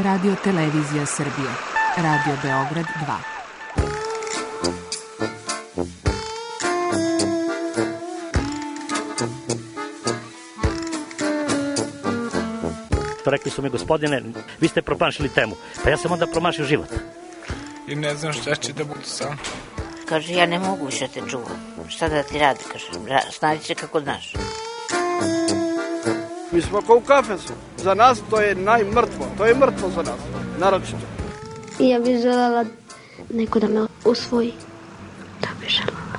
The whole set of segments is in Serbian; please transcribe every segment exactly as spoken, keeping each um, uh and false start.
Radio Televizija Srbije. Radio Beograd dva. Rekli su mi, gospodine, vi ste promašili temu. Pa ja sam onda promašio život. I ne znam šta će da budu sam. Kaže, ja ne mogu više te čuvam. Šta da ti radi, kaže, snađi se kako znaš. Mi smo kao u kafesu. Za nas to je najmrtvo. To je mrtvo za nas, naročito. I ja bih želela neko da me usvoji. Da bih želela.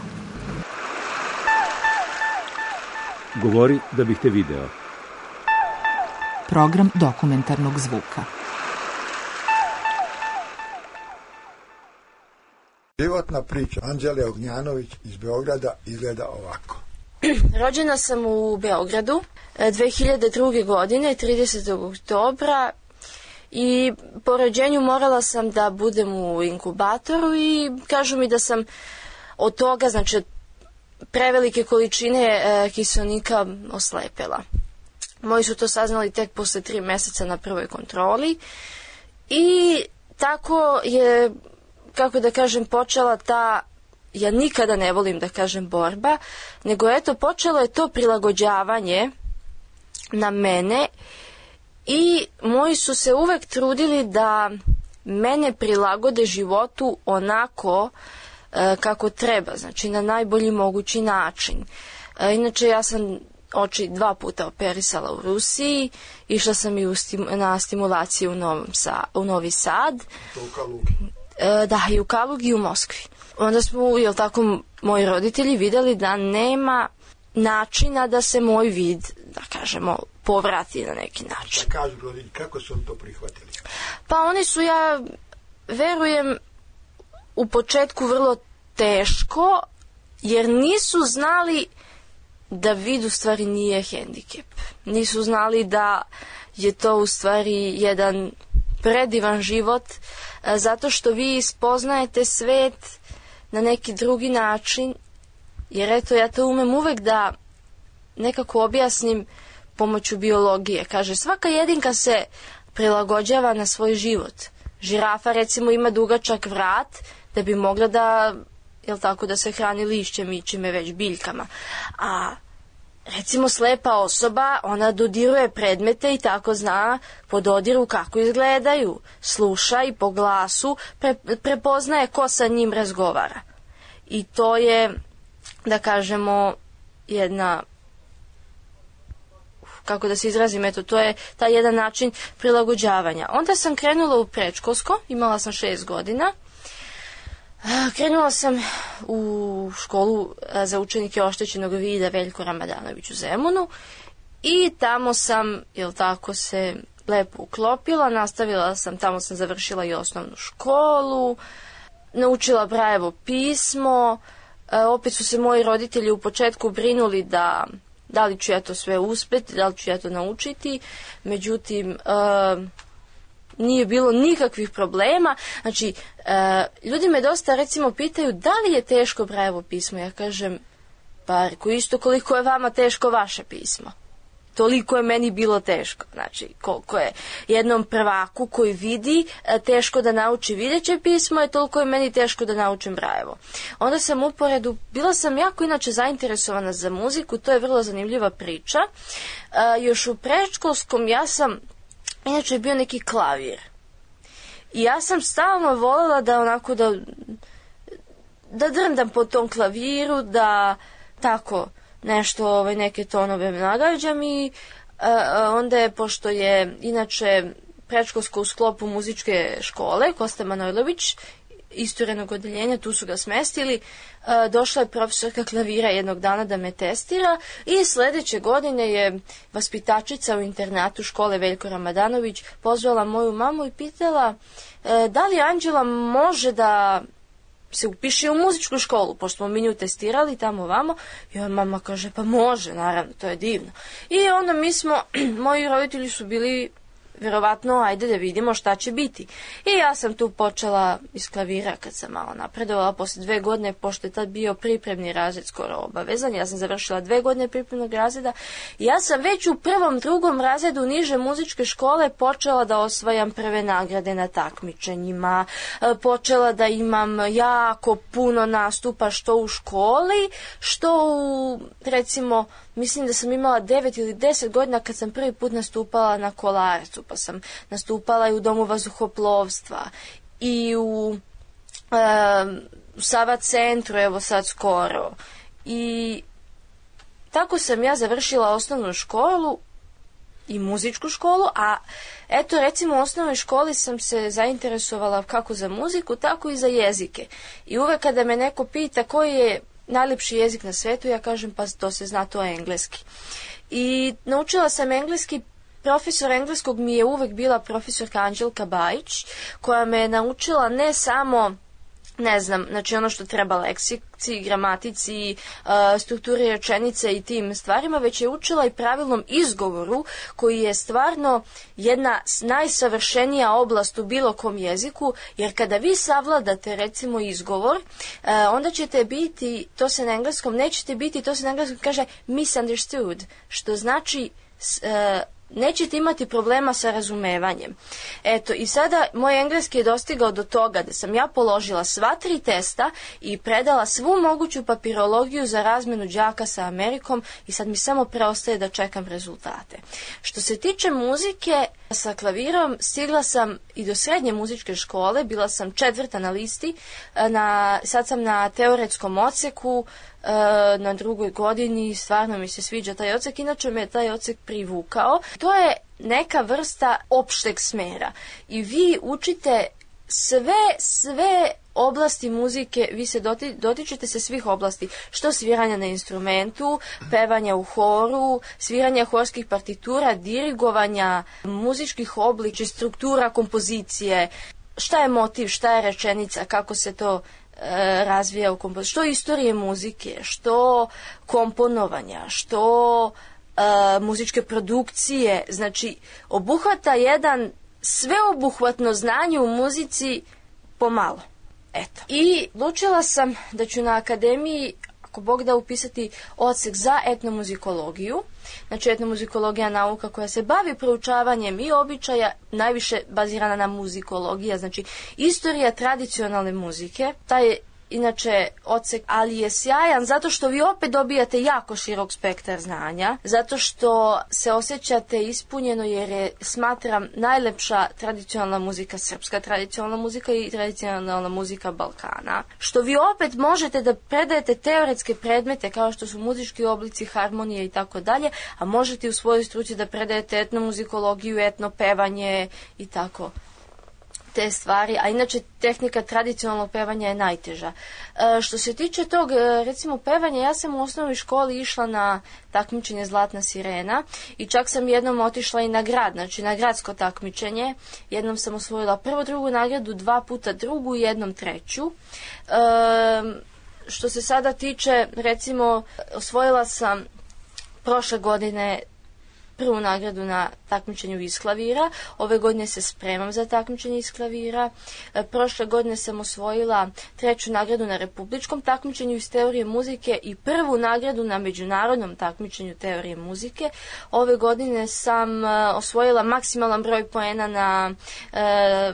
Govori da bih te video. Program dokumentarnog zvuka. Životna priča Anđele Ognjanović iz Beograda izgleda ovako. Rođena sam u Beogradu dve hiljade druge. godine, tridesetog oktobra, i po rođenju morala sam da budem u inkubatoru i kažu mi da sam od toga, znači od prevelike količine e, kiselnika oslepela. Moji su to saznali tek posle tri meseca na prvoj kontroli i tako je, kako da kažem, počela ta, ja nikada ne volim da kažem borba, nego eto počelo je to prilagođavanje na mene i moji su se uvek trudili da mene prilagode životu onako e, kako treba, znači na najbolji mogući način. E, inače ja sam oči dva puta operisala u Rusiji, išla sam i u stim, na stimulaciju u, Novom Sa, u Novi Sad. U Kalugi. E, da, i u Kalugi i u Moskvi. Onda smo, jel tako, moji roditelji videli da nema načina da se moj vid, da kažemo, povrati na neki način. Da kažu roditelji, kako su oni to prihvatili? Pa oni su, ja verujem, u početku vrlo teško, jer nisu znali da vid u stvari nije hendikep. Nisu znali da je to u stvari jedan predivan život, zato što vi spoznajete svet na neki drugi način, jer eto ja to umem uvek da nekako objasnim pomoću biologije. Kaže, svaka jedinka se prilagođava na svoj život. Žirafa recimo ima dugačak vrat da bi mogla da, jel tako, da se hrani lišćem i čime već biljkama. A recimo slepa osoba, ona dodiruje predmete i tako zna po dodiru kako izgledaju. Sluša i po glasu pre, prepoznaje ko sa njim razgovara. I to je, da kažemo, jedna, kako da se izrazim, eto, to je taj jedan način prilagođavanja. Onda sam krenula u predškolsko, imala sam šest godina. Krenula sam u školu za učenike oštećenog vida Veljko Ramadanović u Zemunu i tamo sam, jel tako, se lepo uklopila, nastavila sam, tamo sam završila i osnovnu školu, naučila Brajevo pismo, opet su se moji roditelji u početku brinuli da da li ću ja to sve uspeti, da li ću ja to naučiti, međutim, nije bilo nikakvih problema. Znači, e, ljudi me dosta recimo pitaju da li je teško Brajevo pismo. Ja kažem, pa reko, isto koliko je vama teško vaše pismo. Toliko je meni bilo teško. Znači, koliko je jednom prvaku koji vidi e, teško da nauči videće pismo, je toliko je meni teško da naučim Brajevo. Onda sam uporedu, bila sam jako inače zainteresovana za muziku, to je vrlo zanimljiva priča. E, još u predškolskom ja sam, inače je bio neki klavir. I ja sam stalno voljela da onako da, da drndam po tom klaviru, da tako nešto, ovaj, neke tonove nagađam i uh, onda je, pošto je inače predškolsko u sklopu muzičke škole, Kosta Manojlović, isturenog odeljenja, tu su ga smestili, uh, došla je profesorka klavira jednog dana da me testira i sledeće godine je vaspitačica u internatu škole Veljko Ramadanović pozvala moju mamu i pitala uh, da li Anđela može da se upiše u muzičku školu, pošto smo mi nju testirali tamo vamo, i on mama kaže, pa može, naravno, to je divno. I onda mi smo, moji roditelji su bili vjerovatno, ajde da vidimo šta će biti. I ja sam tu počela iz klavira kad sam malo napredovala, posle dve godine, pošto je tad bio pripremni razred skoro obavezan, ja sam završila dve godine pripremnog razreda, i ja sam već u prvom, drugom razredu niže muzičke škole počela da osvajam prve nagrade na takmičenjima, počela da imam jako puno nastupa što u školi, što u, recimo, mislim da sam imala devet ili deset godina kad sam prvi put nastupala na Kolarcu, pa sam nastupala i u Domu vazduhoplovstva i u e, Sava centru, evo sad skoro. I tako sam ja završila osnovnu školu i muzičku školu, a eto recimo u osnovnoj školi sam se zainteresovala kako za muziku, tako i za jezike. I uvek kada me neko pita koji je najljepši jezik na svetu, ja kažem pa to se zna, to je engleski. I naučila sam engleski, profesor engleskog mi je uvek bila profesorka Anđelka Bajić, koja me je naučila ne samo, ne znam, znači ono što treba leksici, gramatici, strukturi rečenice i tim stvarima, već je učila i pravilnom izgovoru, koji je stvarno jedna najsavršenija oblast u bilo kom jeziku, jer kada vi savladate recimo izgovor, onda ćete biti, to se na engleskom nećete biti, to se na engleskom kaže misunderstood, što znači nećete imati problema sa razumevanjem. Eto, i sada moj engleski je dostigao do toga da sam ja položila sva tri testa i predala svu moguću papirologiju za razmenu đaka sa Amerikom i sad mi samo preostaje da čekam rezultate. Što se tiče muzike, sa klavirom stigla sam i do srednje muzičke škole, bila sam četvrta na listi, na, sad sam na teoretskom odseku, na drugoj godini, stvarno mi se sviđa taj odsek, inače me taj odsek privukao. To je neka vrsta opšteg smera i vi učite sve, sve oblasti muzike, vi se doti, dotičete se svih oblasti, što sviranja na instrumentu, pevanja u horu, sviranja horskih partitura, dirigovanja, muzičkih oblika, struktura kompozicije, šta je motiv, šta je rečenica, kako se to razvija u kompoziciji, što istorije muzike, što komponovanja, što e, muzičke produkcije, znači obuhvata jedan sveobuhvatno znanje u muzici pomalo. Eto. I odlučila sam da ću na akademiji, ako Bog da, upisati odsek za etnomuzikologiju. Znači etnomuzikologija je nauka koja se bavi proučavanjem i običaja, najviše bazirana na muzikologija, znači istorija tradicionalne muzike. Taj inače odsek, ali je sjajan zato što vi opet dobijate jako širok spektar znanja, zato što se osjećate ispunjeno, jer je, smatram, najlepša tradicionalna muzika srpska, tradicionalna muzika i tradicionalna muzika Balkana, što vi opet možete da predajete teoretske predmete kao što su muzički oblici, harmonije i tako dalje, a možete u svojoj struci da predajete etnomuzikologiju, etnopevanje i tako te stvari, a inače tehnika tradicionalnog pevanja je najteža. E, što se tiče tog, recimo, pevanja, ja sam u osnovnoj školi išla na takmičenje Zlatna sirena i čak sam jednom otišla i na grad, znači na gradsko takmičenje. Jednom sam osvojila prvu, drugu nagradu, dva puta drugu i jednom treću. E, što se sada tiče, recimo, osvojila sam prošle godine prvu nagradu na takmičenju iz klavira. Ove godine se spremam za takmičenje iz klavira. E, prošle godine sam osvojila treću nagradu na republičkom takmičenju iz teorije muzike i prvu nagradu na međunarodnom takmičenju teorije muzike. Ove godine sam e, osvojila maksimalan broj poena na e,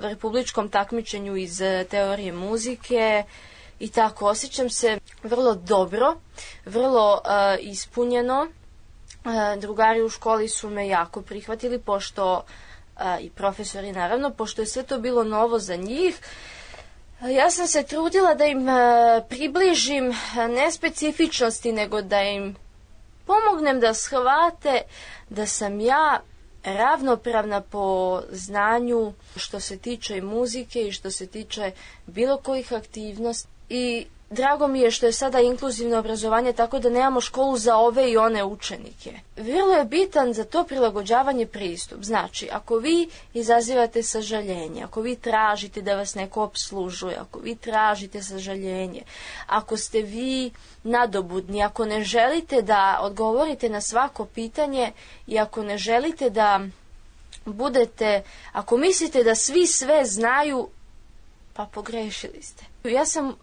republičkom takmičenju iz e, teorije muzike. I tako, osjećam se vrlo dobro, vrlo e, ispunjeno. Drugari u školi su me jako prihvatili, pošto i profesori naravno, pošto je sve to bilo novo za njih. Ja sam se trudila da im približim ne specifičnosti, nego da im pomognem da shvate da sam ja ravnopravna po znanju što se tiče i muzike i što se tiče bilo kojih aktivnosti. I drago mi je što je sada inkluzivno obrazovanje, tako da nemamo školu za ove i one učenike. Vrlo je bitan za to prilagođavanje pristup. Znači, ako vi izazivate sažaljenje, ako vi tražite da vas neko opslužuje, ako vi tražite sažaljenje, ako ste vi nadobudni, ako ne želite da odgovorite na svako pitanje i ako ne želite da budete, ako mislite da svi sve znaju, pa pogrešili ste. Ja sam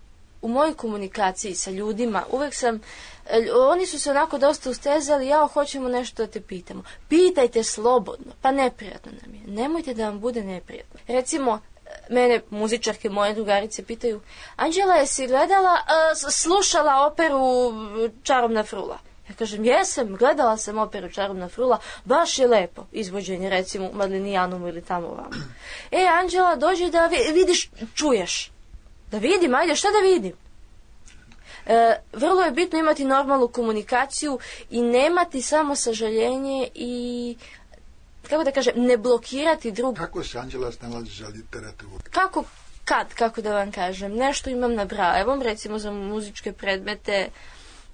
u mojoj komunikaciji sa ljudima, uvek sam, oni su se onako dosta ustezali, ja hoćemo nešto da te pitamo. Pitajte slobodno, pa neprijatno nam je. Nemojte da vam bude neprijatno. Recimo, mene muzičarke, moje drugarice pitaju, Anđela, jesi gledala, uh, slušala operu Čarobna frula? Ja kažem, jesam, gledala sam operu Čarobna frula, baš je lepo izvođenje, recimo u Madlinijanumu ili tamo ovamo. E, Anđela, dođi da vidiš, čuješ. Da vidim, ajde, šta da vidim? E, vrlo je bitno imati normalnu komunikaciju i nemati samo sažaljenje i, kako da kažem, ne blokirati drugog. Kako se Anđela snalazi za literaturu? Kako, kad, kako da vam kažem, nešto imam na Brajevom, recimo za muzičke predmete,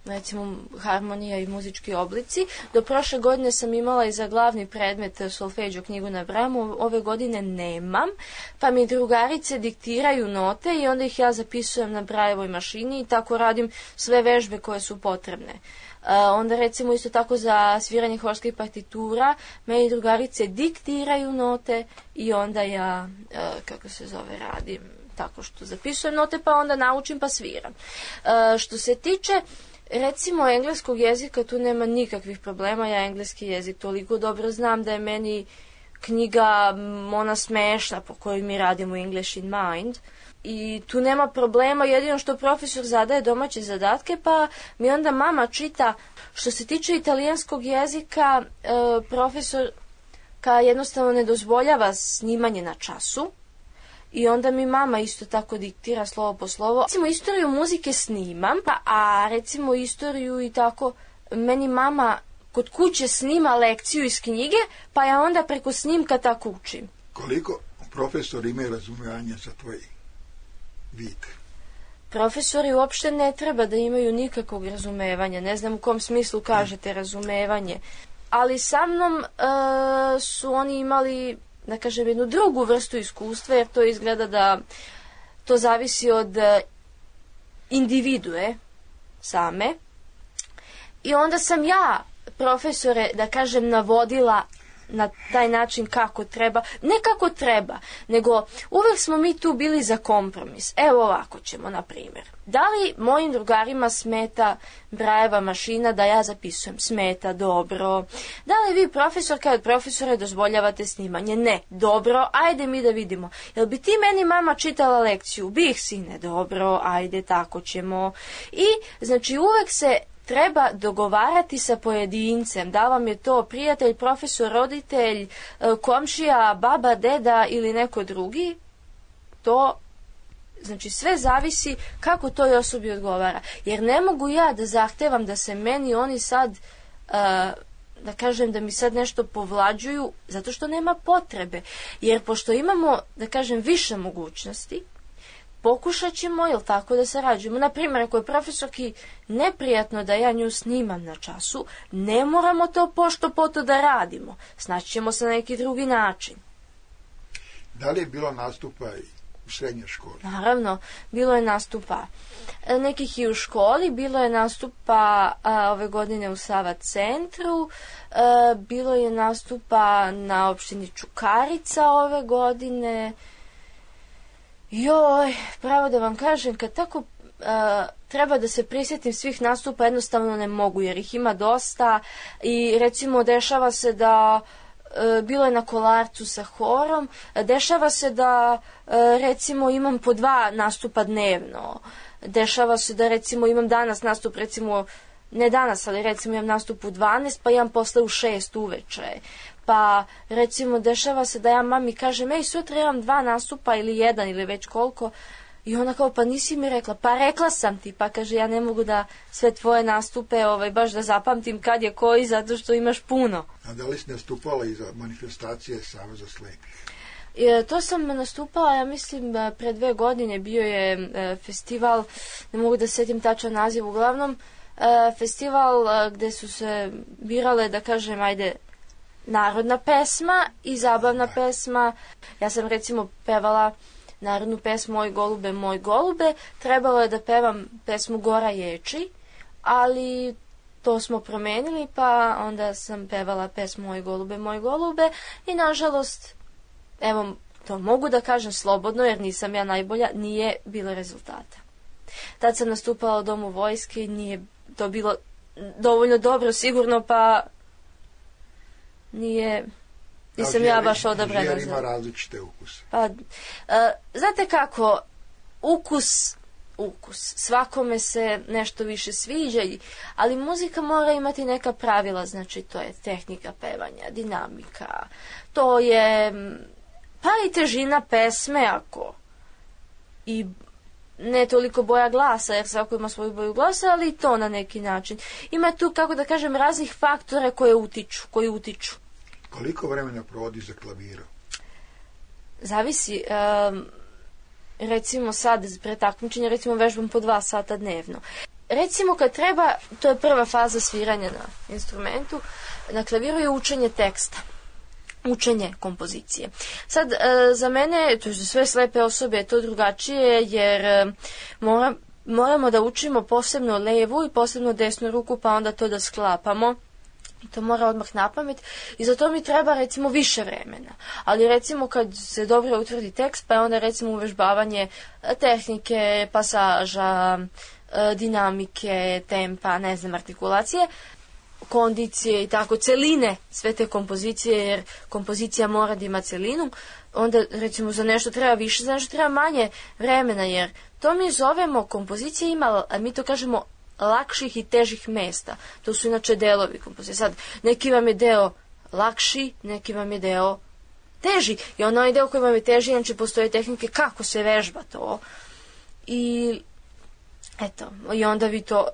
recimo harmonija i muzički oblici. Do prošle godine sam imala i za glavni predmet solfeđo knjigu na Brajevom, ove godine nemam, pa mi drugarice diktiraju note i onda ih ja zapisujem na Brajevoj mašini i tako radim sve vežbe koje su potrebne. Uh, onda recimo isto tako za sviranje horskih partitura meni drugarice diktiraju note i onda ja, uh, kako se zove, radim tako što zapisujem note pa onda naučim pa sviram. Uh, što se tiče recimo engleskog jezika, tu nema nikakvih problema, ja engleski jezik toliko dobro znam da je meni knjiga ona smešna po kojoj mi radimo English in Mind i tu nema problema, jedino što profesor zadaje domaće zadatke pa mi onda mama čita. Što se tiče italijanskog jezika, e, profesor ka jednostavno ne dozvoljava snimanje na času i onda mi mama isto tako diktira slovo po slovo. Recimo istoriju muzike snimam, a recimo istoriju i tako meni mama kod kuće snima lekciju iz knjige, pa ja onda preko snimka tako učim. Koliko profesori imaju razumijevanja za tvoj vid? Profesori uopšte ne treba da imaju nikakvog razumevanja, ne znam u kom smislu kažete razumevanje, ali sa mnom e, su oni imali, da kažem, jednu drugu vrstu iskustva, jer to izgleda da to zavisi od individue same. I onda sam ja profesore, da kažem, navodila na taj način kako treba, ne kako treba, nego uvek smo mi tu bili za kompromis. Evo ovako ćemo, na primjer. Da li mojim drugarima smeta Brajeva mašina da ja zapisujem? Smeta, dobro. Da li vi, profesor, kao profesore, dozvoljavate snimanje? Ne, dobro, ajde mi da vidimo. Jel bi ti meni, mama, čitala lekciju? Bih, sine, dobro, ajde, tako ćemo. I, znači, uvek se treba dogovarati sa pojedincem, da vam je to prijatelj, profesor, roditelj, komšija, baba, deda ili neko drugi, to, znači, sve zavisi kako toj osobi odgovara. Jer ne mogu ja da zahtevam da se meni oni sad, uh, da kažem, da mi sad nešto povlađuju, zato što nema potrebe. Jer pošto imamo, da kažem, više mogućnosti, pokušat ćemo, jel tako, da sarađujemo. Naprimjer, ako je profesorki neprijatno da ja nju snimam na času, ne moramo to pošto poto da radimo. Snaći ćemo se na neki drugi način. Da li je bilo nastupa i u srednjoj školi? Naravno, bilo je nastupa nekih i u školi, bilo je nastupa a, ove godine u Sava centru, a, bilo je nastupa na opštini Čukarica ove godine. Joj, pravo da vam kažem, kad tako uh, treba da se prisjetim svih nastupa, jednostavno ne mogu, jer ih ima dosta i recimo dešava se da, uh, bilo je na Kolarcu sa horom, dešava se da uh, recimo imam po dva nastupa dnevno, dešava se da recimo imam danas nastup, recimo, ne danas, ali recimo imam nastup u dvanaest, pa imam posle u šest uveče. Pa, recimo, dešava se da ja mami kažem, ej, sutra imam dva nastupa ili jedan ili već koliko. I ona kao, pa nisi mi rekla. Pa rekla sam ti. Pa kaže, ja ne mogu da sve tvoje nastupe ovaj, baš da zapamtim kad je koji, zato što imaš puno. A da li si nastupala i za manifestacije Saveza slepih? E, to sam nastupala, ja mislim, pre dve godine bio je e, festival, ne mogu da setim tačan naziv, uglavnom, e, festival e, gde su se birale, da kažem, ajde, narodna pesma i zabavna pesma. Ja sam recimo pevala narodnu pesmu Moj golube, moj golube. Trebalo je da pevam pesmu Gora ječi, ali to smo promenili, pa onda sam pevala pesmu Moj golube, moj golube i nažalost, evo, to mogu da kažem slobodno jer nisam ja najbolja, nije bilo rezultata. Tad sam nastupala u Domu vojske i nije to bilo dovoljno dobro sigurno, pa nije, nisam ja baš odabrana. Žer ima različite ukuse. Pa, a, znate kako, ukus, ukus, svakome se nešto više sviđa, ali muzika mora imati neka pravila, znači to je tehnika pevanja, dinamika, to je pa i težina pesme ako i ne toliko boja glasa, jer svako ima svoju boju glasa, ali i to na neki način. Ima tu, kako da kažem, raznih faktora koje utiču, koji utiču. Koliko vremena provodi za klavirom? Zavisi. Um, recimo sad, pre takmičenja, recimo vežbam po dva sata dnevno. Recimo kad treba, to je prva faza sviranja na instrumentu, na klaviru je učenje teksta. Učenje kompozicije. Sad, e, za mene, to je za sve slepe osobe, je to drugačije, jer e, mora, moramo da učimo posebno levu i posebno desnu ruku, pa onda to da sklapamo. I to mora odmah na pamet. I za to mi treba, recimo, više vremena. Ali, recimo, kad se dobro utvrdi tekst, pa je onda, recimo, uvežbavanje tehnike, pasaža, e, dinamike, tempa, ne znam, artikulacije, kondicije i tako, celine sve te kompozicije, jer kompozicija mora da ima celinu, onda recimo za nešto treba više, za nešto treba manje vremena, jer to mi zovemo, kompozicija ima, a mi to kažemo, lakših i težih mesta. To su inače delovi kompozicije. Sad, neki vam je deo lakši, neki vam je deo teži. I onaj deo koji vam je teži, inače postoje tehnike kako se vežba to. I eto, i onda vi to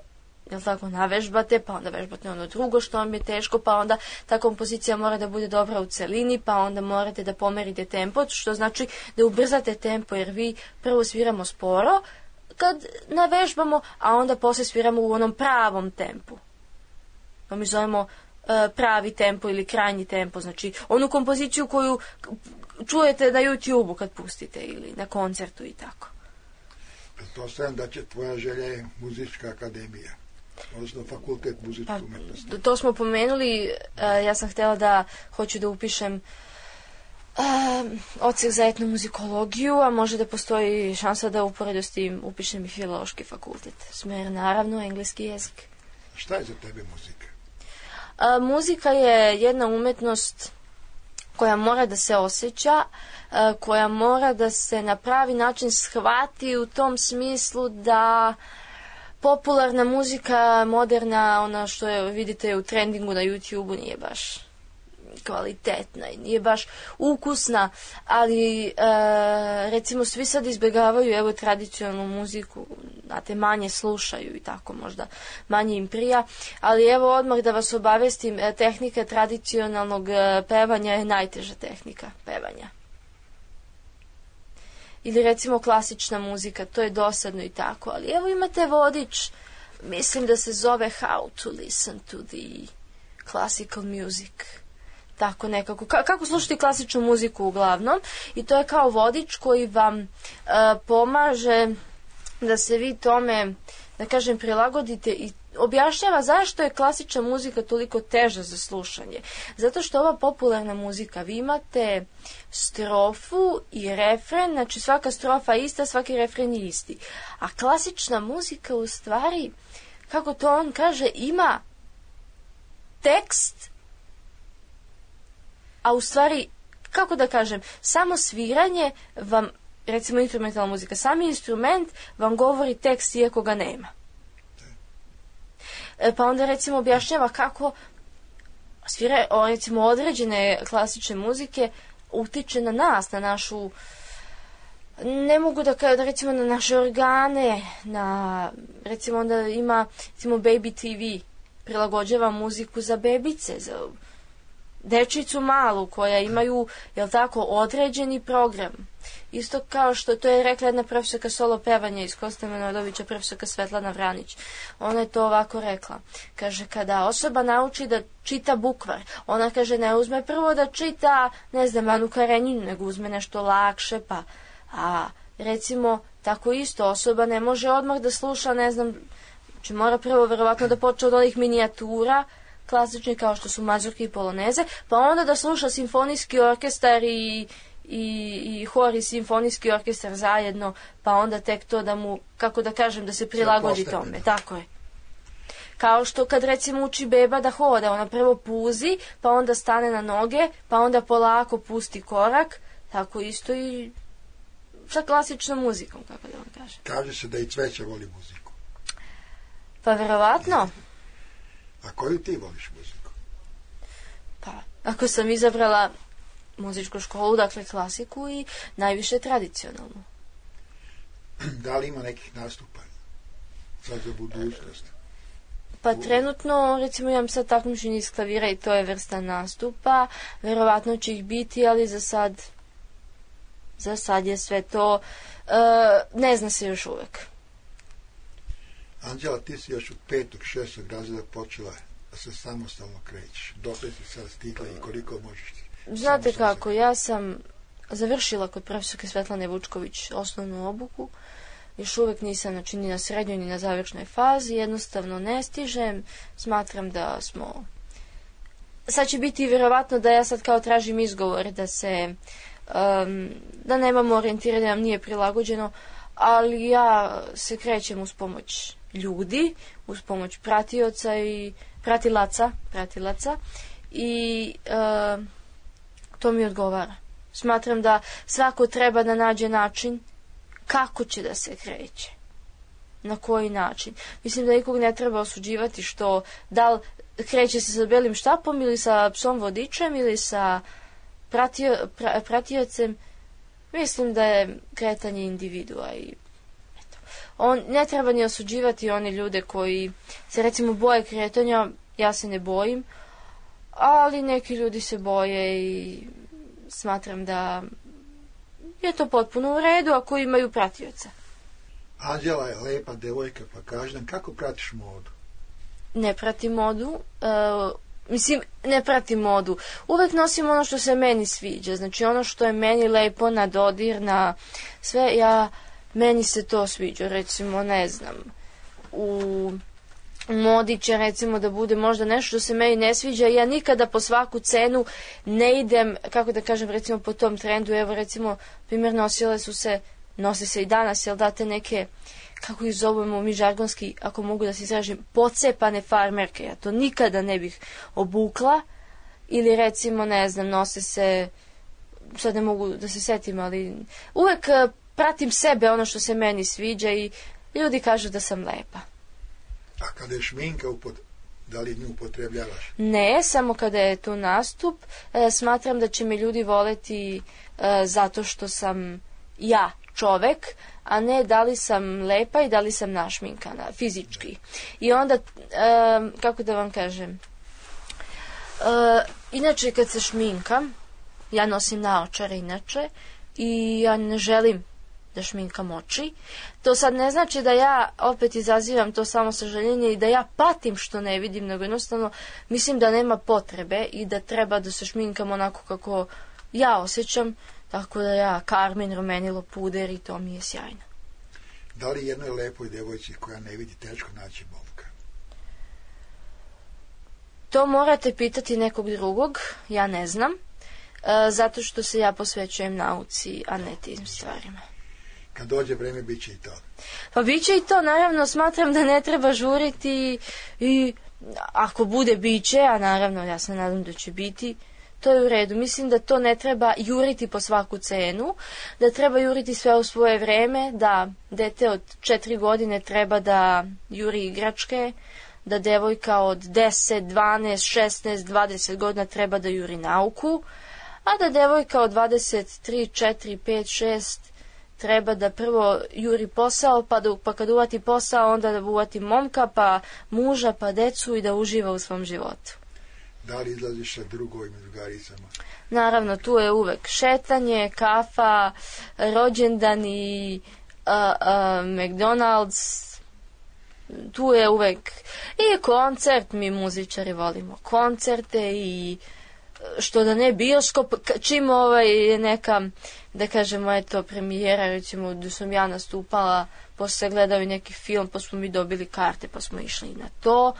jel tako, navežbate, pa onda vežbate ono drugo što vam je teško, pa onda ta kompozicija mora da bude dobra u celini, pa onda morate da pomerite tempo, što znači da ubrzate tempo, jer vi prvo sviramo sporo kad navežbamo, a onda posle sviramo u onom pravom tempu. To mi zovemo uh, pravi tempo ili krajnji tempo, znači onu kompoziciju koju čujete na YouTube-u kad pustite ili na koncertu i tako. Pretpostavljam da će tvoja želja je muzička akademija, odnosno fakultet muzičke pa, umetnosti. To smo pomenuli, uh, ja sam htjela da hoću da upišem uh, odsek za etnomuzikologiju, a može da postoji šansa da uporedo s tim upišem i filološki fakultet. Smer, naravno, engleski jezik. Šta je za tebe muzika? Uh, muzika je jedna umetnost koja mora da se osjeća, koja mora da se na pravi način shvati u tom smislu da popularna muzika, moderna, ona što je, vidite u trendingu na YouTube-u, nije baš kvalitetna i nije baš ukusna, ali e, recimo svi sad izbjegavaju evo tradicionalnu muziku, znate, manje slušaju i tako možda manje im prija, ali evo odmah da vas obavestim, tehnika tradicionalnog pevanja je najteža tehnika pevanja. Ili recimo klasična muzika, to je dosadno i tako, ali evo imate vodič, mislim da se zove How to listen to the classical music. Tako nekako, Ka- kako slušati klasičnu muziku uglavnom, i to je kao vodič koji vam e, pomaže da se vi tome, da kažem, prilagodite i objašnjava zašto je klasična muzika toliko teža za slušanje. Zato što ova popularna muzika, vi imate strofu i refren, znači svaka strofa je ista, svaki refren je isti. A klasična muzika u stvari, kako to on kaže, ima tekst, a u stvari, kako da kažem, samo sviranje vam, recimo instrumentalna muzika, sami instrument vam govori tekst iako ga nema. E, pa onda recimo objašnjava kako svira, o, recimo određene klasične muzike utiče na nas, na našu, ne mogu da kažem, recimo na naše organe, na, recimo onda ima, recimo Baby T V, prilagođava muziku za bebice, za dečicu malu koja imaju, jel tako, određeni program. Isto kao što to je rekla jedna profesorka solo pevanja iz Kosta Manojlovića, profesorka Svetlana Vranić. Ona je to ovako rekla. Kaže, kada osoba nauči da čita bukvar, ona kaže ne uzme prvo da čita, ne znam, Anu Karenjinu, nego uzme nešto lakše, pa, a recimo, tako isto osoba ne može odmah da sluša, ne znam, Znači mora prvo verovatno da počne od onih minijatura, klasični kao što su mazurke i poloneze, pa onda da sluša simfonijski orkestar i, i, i hor i simfonijski orkestar zajedno, pa onda tek to da mu, kako da kažem, da se prilagodi tome. Tako je. Kao što kad recimo uči beba da hoda, ona prvo puzi, pa onda stane na noge, pa onda polako pusti korak, tako isto i sa klasičnom muzikom, kako da vam kažem. Kaže se da i Cveća voli muziku. Pa verovatno. A koju ti voliš muziku? Pa, ako sam izabrala muzičku školu, dakle klasiku i najviše tradicionalnu. Da li ima nekih nastupa sad za budućnost? Pa trenutno, recimo imam sad takmičenje iz klavira i to je vrsta nastupa. Verovatno će ih biti, ali za sad za sad je sve to uh, ne zna se još uvek. Anđela, ti si još od petog, šestog razreda počela da se samostalno krećeš. Dokle si sad stigla i koliko možeš ti? Znate kako, ja sam završila kod profesorke Svetlane Vučković osnovnu obuku. Još uvek nisam, znači, ni na srednjoj, ni na završnoj fazi. Jednostavno ne stižem. Smatram da smo... Sad će biti vjerovatno da ja sad kao tražim izgovor da se... Um, da nemamo orijentiranje, da nam nije prilagođeno, ali ja se krećem uz pomoć ljudi, uz pomoć pratioca i pratilaca, pratilaca i uh, to mi odgovara. Smatram da svako treba da nađe način kako će da se kreće. Na koji način. Mislim da nikog ne treba osuđivati što da li kreće se sa belim štapom ili sa psom vodičem ili sa pratio, pra, pratiocem. Mislim da je kretanje individua i eto. On, ne treba ni osuđivati one ljude koji se recimo boje kretanja, ja se ne bojim, ali neki ljudi se boje i smatram da je to potpuno u redu ako imaju pratioca. Anđela je lepa devojka, pa kaži nam kako pratiš modu? Ne pratim modu, uh, mislim, ne pratim modu. Uvek nosim ono što se meni sviđa, znači ono što je meni lepo na dodir, na sve, ja, meni se to sviđa, recimo, ne znam, u modi će recimo da bude možda nešto što se meni ne sviđa, ja nikada po svaku cenu ne idem, kako da kažem, recimo po tom trendu, evo recimo, primjer, nosile su se, nose se i danas, jel date neke, kako ih zovemo mi žargonski, ako mogu da se izražim, pocepane farmerke, ja to nikada ne bih obukla, ili recimo, ne znam, nose se, sad ne mogu da se setim, ali uvek pratim sebe, ono što se meni sviđa i ljudi kažu da sam lepa. A kada je šminka, upod... da li nju upotrebljavaš? Ne, samo kada je tu nastup. E, smatram da će me ljudi voleti e, zato što sam ja čovek, a ne da li sam lepa i da li sam našminkana, fizički. I onda, e, kako da vam kažem, e, inače kad se šminkam, ja nosim naočare inače i ja ne želim da šminkam oči. To sad ne znači da ja opet izazivam to samo sažaljenje i da ja patim što ne vidim, nego jednostavno mislim da nema potrebe i da treba da se šminkam onako kako ja osjećam, tako da ja karmin, rumenilo, puder i to mi je sjajno. Da li jednoj lepoj devojci koja ne vidi teško naći momka? To morate pitati nekog drugog, ja ne znam, e, zato što se ja posvećujem nauci, a ne tim stvarima. Kad dođe vreme, bit će i to. Pa bit će i to, naravno, smatram da ne treba žuriti i ako bude, bit će, a naravno, ja se nadam da će biti, to je u redu. Mislim da to ne treba juriti po svaku cenu, da treba juriti sve u svoje vreme, da dete od četiri godine treba da juri igračke, da devojka od deset, dvanaest, šesnaest, dvadeset godina treba da juri nauku, a da devojka od dvadeset tri, četiri, pet, šest treba da prvo juri posao, pa, da, pa kad uvati posao, onda da uvati momka, pa muža, pa decu i da uživa u svom životu. Da li izlaziš sa drugovima, drugaricama? Naravno, tu je uvek šetanje, kafa, rođendan i uh, uh, McDonald's. Tu je uvek i koncert, mi muzičari volimo koncerte i što da ne bioskop, čim ovaj je neka, da kažemo, eto, premijera, recimo, da sam ja nastupala, posle se gledao i neki film, pa smo mi dobili karte, pa smo išli na to.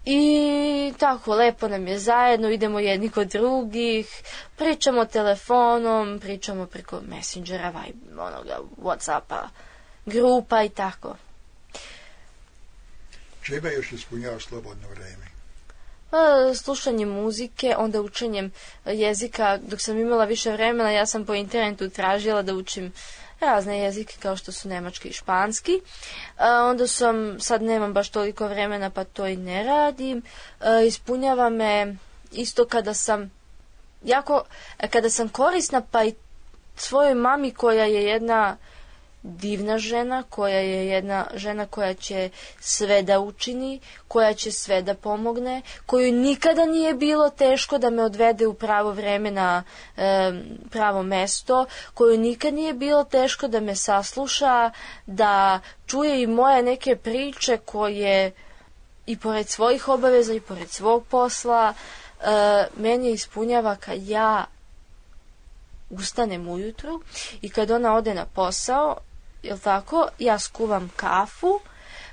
I tako, lepo nam je zajedno, idemo jedni kod drugih, pričamo telefonom, pričamo preko Messengera, Vibe, onoga, Whatsappa, grupa i tako. Čega još ispunjava slobodno vreme? Pa, slušanjem muzike, onda učenjem jezika. Dok sam imala više vremena, ja sam po internetu tražila da učim razne jezike kao što su nemački i španski. A, onda sam, sad nemam baš toliko vremena pa to i ne radim. A, ispunjava me isto kada sam jako, kada sam korisna pa i svojoj mami koja je jedna divna žena, koja je jedna žena koja će sve da učini, koja će sve da pomogne, koju nikada nije bilo teško da me odvede u pravo vreme na e, pravo mesto, koju nikad nije bilo teško da me sasluša, da čuje i moje neke priče koje i pored svojih obaveza i pored svog posla e, meni ispunjava kad ja ustanem ujutru i kad ona ode na posao, jel tako, ja skuvam kafu,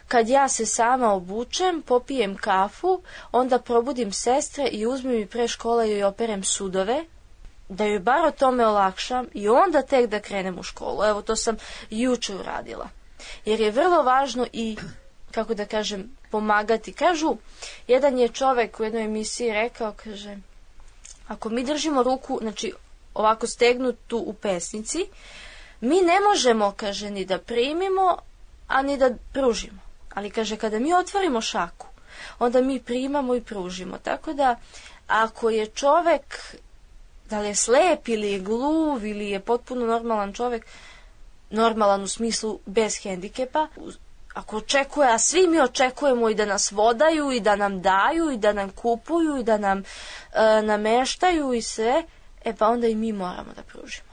kad ja se sama obučem, popijem kafu, onda probudim sestre i uzmem i pre škola joj operem sudove, da joj bar o tome olakšam i onda tek da krenem u školu. Evo, to sam juče uradila. Jer je vrlo važno i, kako da kažem, pomagati. Kažu, jedan je čovek u jednoj emisiji rekao, kaže, ako mi držimo ruku, znači ovako stegnutu u pesnici, mi ne možemo, kaže, ni da primimo, a ni da pružimo. Ali, kaže, kada mi otvorimo šaku, onda mi primamo i pružimo. Tako da, ako je čovek, da li je slep ili je gluv ili je potpuno normalan čovek, normalan u smislu bez hendikepa, ako očekuje, a svi mi očekujemo i da nas vodaju i da nam daju i da nam kupuju i da nam e, nameštaju i sve, e pa onda i mi moramo da pružimo.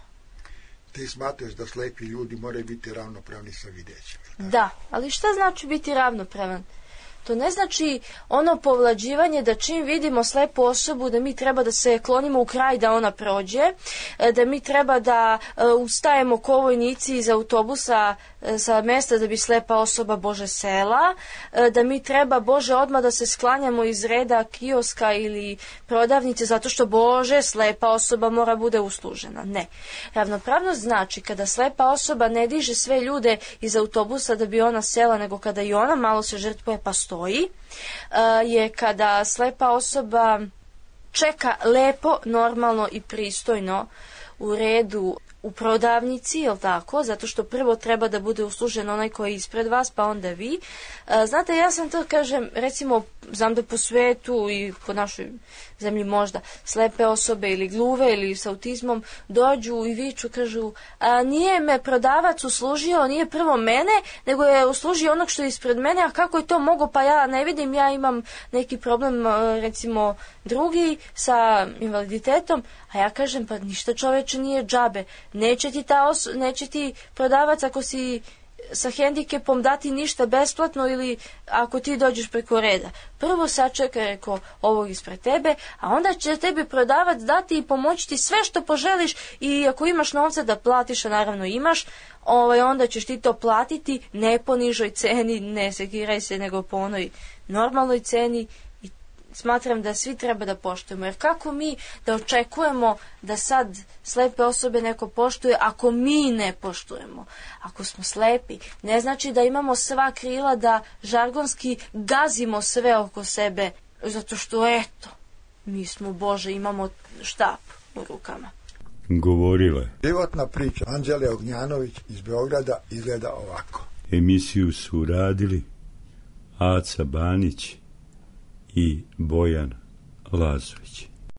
Ti smatraš da slepi ljudi moraju biti ravnopravni sa videćim? Da, ali šta znači biti ravnopravan? To ne znači ono povlađivanje da čim vidimo slepu osobu da mi treba da se klonimo u kraj da ona prođe, da mi treba da ustajemo ko vojnici iz autobusa sa mesta da bi slepa osoba Bože sela, da mi treba Bože odmah da se sklanjamo iz reda kioska ili prodavnice zato što Bože slepa osoba mora bude uslužena. Ne. Ravnopravnost znači kada slepa osoba ne diže sve ljude iz autobusa da bi ona sela, nego kada i ona malo se žrtvuje pa stoji, je kada slepa osoba čeka lepo, normalno i pristojno u redu u prodavnici, jel tako? Zato što prvo treba da bude uslužen onaj koji je ispred vas, pa onda vi. Znate, ja sam to, kažem, recimo, znam da po svetu i po našoj zemlji možda slepe osobe ili gluve ili s autizmom dođu i viču, kažu, a nije me prodavac uslužio, nije prvo mene, nego je uslužio onog što je ispred mene, a kako je to mogo, pa ja ne vidim, ja imam neki problem, recimo, drugi sa invaliditetom, a ja kažem, pa ništa čoveče nije džabe, neće ti, ta os neće ti prodavac ako si sa hendikepom dati ništa besplatno ili ako ti dođeš preko reda. Prvo sačekaj, reko, ovog ispred tebe, a onda će tebi prodavac dati i pomoći ti sve što poželiš i ako imaš novca da platiš, a naravno imaš, ovaj, onda ćeš ti to platiti ne po nižoj ceni, ne sekiraj se, nego po onoj normalnoj ceni. Smatram da svi treba da poštujemo, jer kako mi da očekujemo da sad slepe osobe neko poštuje ako mi ne poštujemo? Ako smo slepi, ne znači da imamo sva krila da žargonski gazimo sve oko sebe, zato što eto, mi smo Bože, imamo štap u rukama. Govorila je. Životna priča Anđele Ognjanović iz Beograda izgleda ovako. Emisiju su radili Aca Banić i Bojan Lazović.